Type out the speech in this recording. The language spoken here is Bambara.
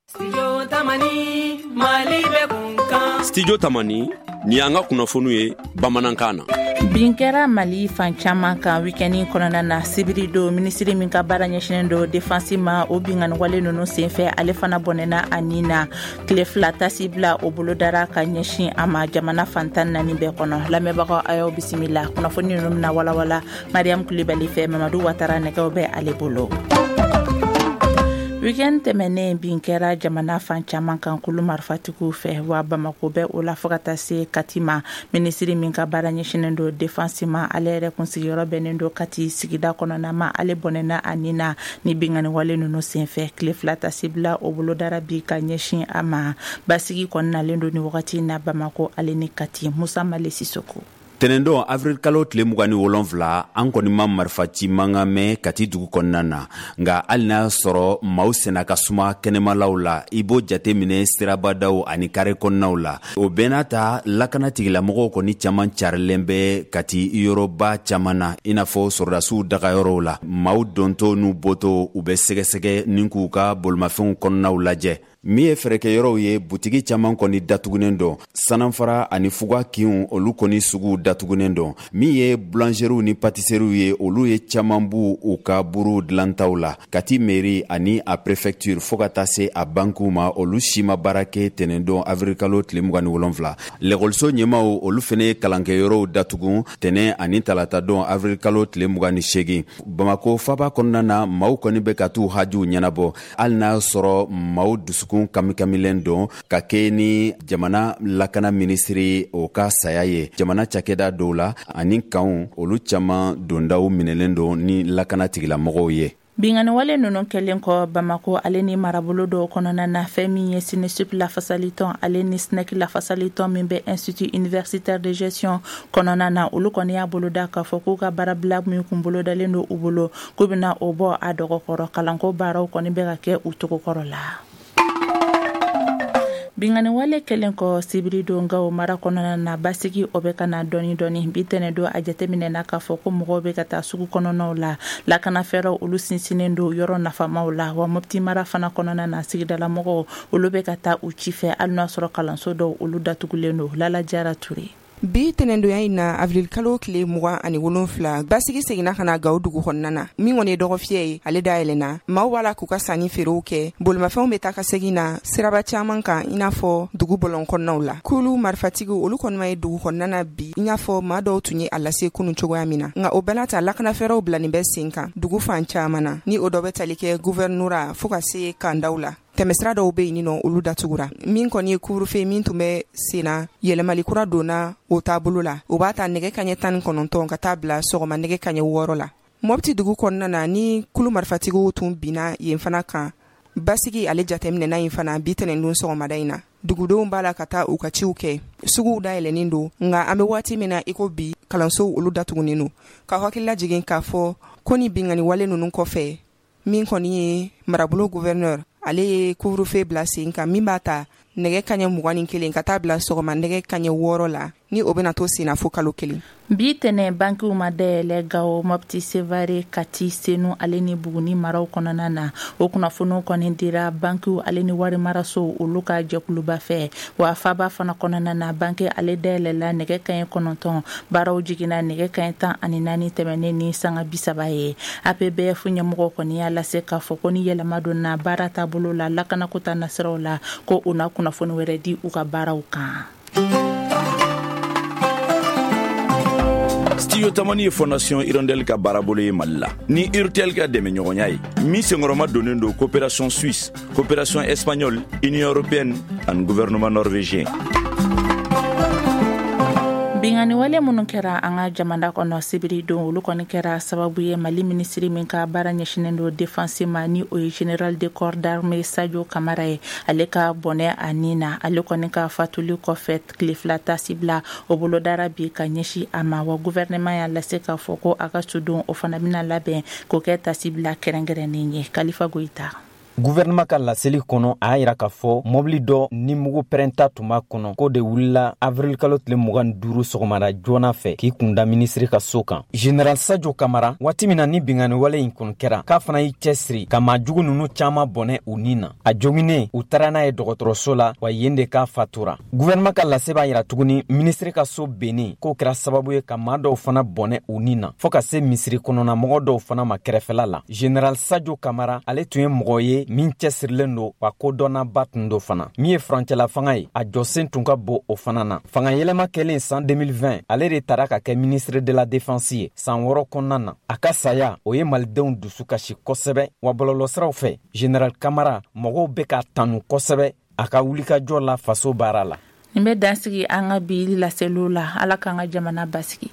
Studio Tamani, Mali bɛ kun kan. Studio Tamani, nin y'an ka kunnafoniw ye bamanankan na. Bin kɛra Mali fan caman kan week-end kɔnɔna na sibiri don minisiri min ka baara ɲɛsinnen don defansi ma o binkanniwale ninnu senfɛ ale fana bɔnɛna a ni na tile fila tasibila o bolodara ka ɲɛsin a ma jamana fan 14 bɛɛ kɔnɔ lamɛnbagaw a y'aw bisimila kunnafoni ninnu bɛna walawala mariam kulibali fɛ mamadu watara nɛgɛw bɛ ale bolo weekend tɛmɛnen bin kɛra jamana fan caman kan kulu marifatigiw fɛ wa bamako bɛ o la fo ka taa se kati ma minisiri min ka baara ɲɛsinnen don defansi ma ale yɛrɛ kun sigiyɔrɔ bɛnnen don kati sigida kɔnɔna ma ale bɔnɛna a ni na ni binkanniwale ninnu senfɛ tile fila tasibila o bolodara bi ka ɲɛsin a ma basigi kɔni nalen don ni wagati na bamako ale ni kati musa male sisoko Tɛnɛndon avril kalo tile 27, an kɔni ma marifaci mankan mɛn Kati dugu kɔnɔna na. Nka hali n'a sɔrɔ maaw senna ka suma kɛnɛmalaw la, i b'o jate minɛ sirabadaw ani kare kɔnɔnaw la. O bɛɛ n'a ta, lakana tigilamɔgɔw kɔni caman carilen bɛ Kati yɔrɔba caman na, i n'a fɔ sɔrɔdasiw dagayɔrɔw la. Maaw dontɔ n'u bɔtɔ, u bɛ sɛgɛsɛgɛ ni k'u ka bolimafɛnw kɔnɔnaw lajɛ. Min ye fɛɛrɛkɛyɔrɔw ye, butigi caman kɔni datugunen don. Sananfara ani fuga kinw, olu kɔni suguw datugunen don. Min ye boulangeries ni patisseries ye, olu ye caman b'u u ka buruw dilantaw la. Kati mairie ani a préfecture fo ka taa se a bankiw ma, olu si ma baara kɛ tɛnɛndon avrilkalo tile 27. Lɛkɔliso ɲɛmaw, olu fɛnɛ ye kalankɛyɔrɔw datugun tɛnɛ ani talatadon avrilkalo tile 28. Bamako faba kɔnɔna na, maaw kɔni bɛ ka t'u hajuw ɲɛnabɔ. Hali n'a sɔrɔ maaw dusukun kamikamilen don ka kɛ ni jamana lakana minisiri o ka saya ye, jamana cakɛda dɔw la ani kanw, olu caman dondaw minɛlen don ni lakana tigilamɔgɔw ye. Binkanniwale ninnu kɛlen kɔ Bamako ale ni marabolo dɔw kɔnɔna na, fɛn min ye SYNESUP lafasalitɔn ale ni SNEC lafasalitɔn min bɛ Institut universitaire de gestion kɔnɔna na, olu kɔni y'a boloda k'a fɔ k'u ka baarabila min kun bolodalen don u bolo, k'u bɛna o bɔ a dɔgɔkɔrɔ. Kalanko baaraw kɔni bɛ ka kɛ u cogo kɔrɔ la. Binkanniwale kɛlen kɔ sibiri don Gawo mara kɔnɔna na, basigi o bɛ ka na dɔɔni dɔɔni. Bi tɛnɛn don a jateminɛna k'a fɔ ko mɔgɔw bɛ ka taa sugu kɔnɔnaw la. Lakanafɛɛrɛw olu sinsinnen don yɔrɔ nafamaw la. Wa Mopti mara fana kɔnɔna na, sigidalamɔgɔw olu bɛ ka taa u ci fɛ, hali n'a sɔrɔ kalanso dɔw olu datugulen don. Lala Jara Ture. Bi tɛnɛndonya in na, avril kalo tile 27, basigi seginna ka na Gawo dugu kɔnɔna na. Min kɔni ye dɔgɔfiyɛ ye, ale dayɛlɛnna. Maaw b'a la k'u ka sanni feerew kɛ. Bolimafɛnw bɛ taa ka segin na siraba caman kan, i n'a fɔ dugu bɔlɔn kɔnɔnaw la. Kulu marifatigiw, olu kɔni ma ye dugu kɔnɔna na bi, i n'a fɔ maa dɔw tun ye a lase kunun cogoya min na. Nka o bɛɛ n'a ta, lakanafɛɛrɛw bilanin bɛ sen kan dugu fan caman na, ni o dɔ bɛ tali kɛ guvɛrinora fo ka se kandaw la. Tɛmɛsira dɔw bɛ yen nɔ, olu datugura. Min kɔni ye couvre-feu min tun bɛ senna, yɛlɛmali kura donna o taabolo la. O b'a ta nɛgɛ kaɲɛ 19 ka taa bila sɔgɔma nɛgɛ kaɲɛ 6 la. Mɔpti dugu kɔnɔna na, ni kulu marifatigiw tun binna yen fana kan, basigi ale jateminɛna yen fana bi tɛnɛndon sɔgɔmada in na. Dugudenw b'a la ka taa u ka ciw kɛ, suguw dayɛlɛnnen don, nka an bɛ waati min na iko bi, kalansow olu datugunen don. Ka hakili lajigin k'a fɔ ko ni binkanni wale ninnu kɔfɛ, min kɔni ye marabolo gouverneur, ale ye couvre-feu bila sen kan min b'a ta nɛgɛ kaɲɛ 21 ka taa bila sɔgɔma nɛgɛ kaɲɛ 6 la, ni o bɛna to senna fo kalo kelen. Bi tɛnɛn bankiw ma dayɛlɛ Gawo, Mɔpti, Sevare, Kati, Senu ale ni Buguni maraw kɔnɔna na. O kunnafoniw kɔni dira bankiw ale ni warimarasow olu ka jɛkuluba fɛ. Wa faba fana kɔnɔna na, banki ale dayɛlɛla nɛgɛ kaɲɛ 9, baaraw jiginna nɛgɛ kaɲɛ 14 tɛmɛnen ni sanga 30 ye. APBF ɲɛmɔgɔ kɔni y'a lase k'a fɔ ko ni yɛlɛma donna baara taabolo la lakanako ta nasiraw la, ko u na kunnafoni wɛrɛ di u ka baaraw kan. Studio Tamani ye Fondation Hirondelle ka baarabolo ye Mali la ni Urtel ka dɛmɛɲɔgɔnya ye, min senkɔrɔma donnen don coopération suisse, coopération espagnole, Union européenne ani gouvernement norvégien. Binkanniwale minnu kɛra an ka jamana kɔnɔ sibiri don, olu kɔni kɛra sababu ye Mali minisiri min ka baara ɲɛsinnen don défense ma, ni o ye général de corps d'armée Sadio Kamara ye, ale ka bɔnɛ a ni na. Ale kɔni ka fatuli kɔfɛ, tile fila tasibila o bolodara bi ka ɲɛsin a ma. Wa gouvernement y'a lase k'a fɔ ko a ka sudon o fana bɛna labɛn k'o kɛ tasibila kɛrɛnkɛrɛnnen ye. Kalifa Goyita. Guvɛrɛnɛman ka laseli kɔnɔ, a y'a yira k'a fɔ mɔbili dɔ ni mugu pɛrɛnta tun b'a kɔnɔ, k'o de wulila avrilkalo tile 25 sɔgɔmada joona fɛ k'i kunda minisiri ka so kan. General Sajo Kamara, waati min na ni binkanni wale in kɔni kɛra, k'a fana y'i cɛsiri ka maa jugu ninnu caman bɔnɛ u ni na. A joginnen, u taara n'a ye dɔgɔtɔrɔso la, wa yen de k'a fatura. Guvɛrɛnɛman ka lase b'a yira tuguni minisiri ka so bennen k'o kɛra sababu ye ka maa dɔw fana bɔnɛ u ni na, fɔɔ ka se misiri kɔnɔnamɔgɔ dɔw fana ma kɛrɛfɛla la. General Sajo Kamara, ale tun ye mɔgɔ ye min cɛsirilen don, wa kodɔnnaba tun don fana. Min ye furancɛla fanga ye, a jɔsen tun ka bon o fana na. Fanga yɛlɛma kɛlen san 2020, ale de tara ka kɛ ministre de la défense ye san 6 kɔnɔna na. A ka saya, o ye malidenw dusu kasi kosɛbɛ. Wa bɔlɔlɔsiraw fɛ, General Kamara, mɔgɔw bɛ k'a tanu kosɛbɛ a ka wulikajɔ la faso baara la. Nin bɛ dansigi an ka bi laseliw la. Ala k'an ka jamana basigi.